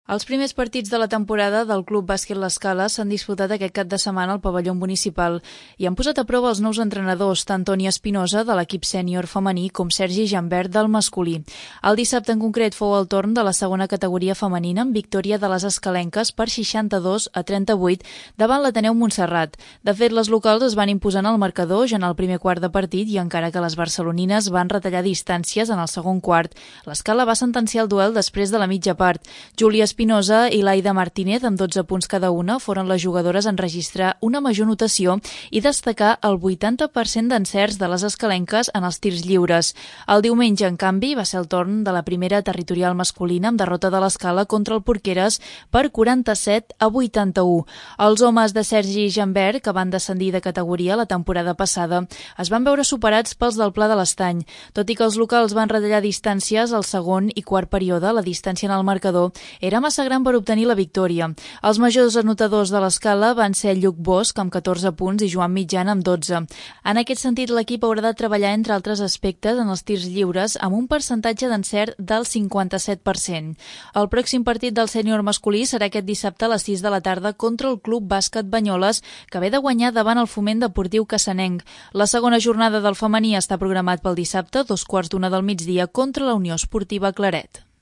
Els primers partits de la temporada del Club Bàsquet L'Escala s'han disputat aquest cap de setmana al pavelló municipal i han posat a prova els nous entrenadors, tant Toni Espinosa, de l'equip sènior femení, com Sergi Jambert, del masculí. El dissabte en concret fou el torn de la segona categoria femenina amb victòria de les escalenques per 62-38 davant l'Ateneu Montserrat. De fet, les locals es van imposar en el marcador ja en el primer quart de partit i encara que les barcelonines van retallar distàncies en el segon quart, l'Escala va sentenciar el duel després de la mitja part. Júlia Espinosa i Laida Martínez, amb 12 punts cada una, foren les jugadores en registrar una major notació i destacar el 80% d'encerts de les escalenques en els tirs lliures. El diumenge, en canvi, va ser el torn de la primera territorial masculina amb derrota de l'Escala contra el Porqueres per 47-81. Els homes de Sergi Jambert, que van descendir de categoria la temporada passada, es van veure superats pels del Pla de l'Estany. Tot i que els locals van retallar distàncies al segon i quart període, la distància en el marcador era massa gran per obtenir la victòria. Els majors anotadors de l'Escala van ser Lluc Bosch, amb 14 punts, i Joan Mitjana, amb 12. En aquest sentit, l'equip haurà de treballar, entre altres aspectes, en els tirs lliures, amb un percentatge d'encert del 57%. El pròxim partit del sènior masculí serà aquest dissabte a les 6 de la tarda contra el Club Bàsquet Banyoles, que ve de guanyar davant el Foment Deportiu Cassanenc. La segona jornada del femení està programat pel dissabte, 14:15 del migdia, contra la Unió Esportiva Claret.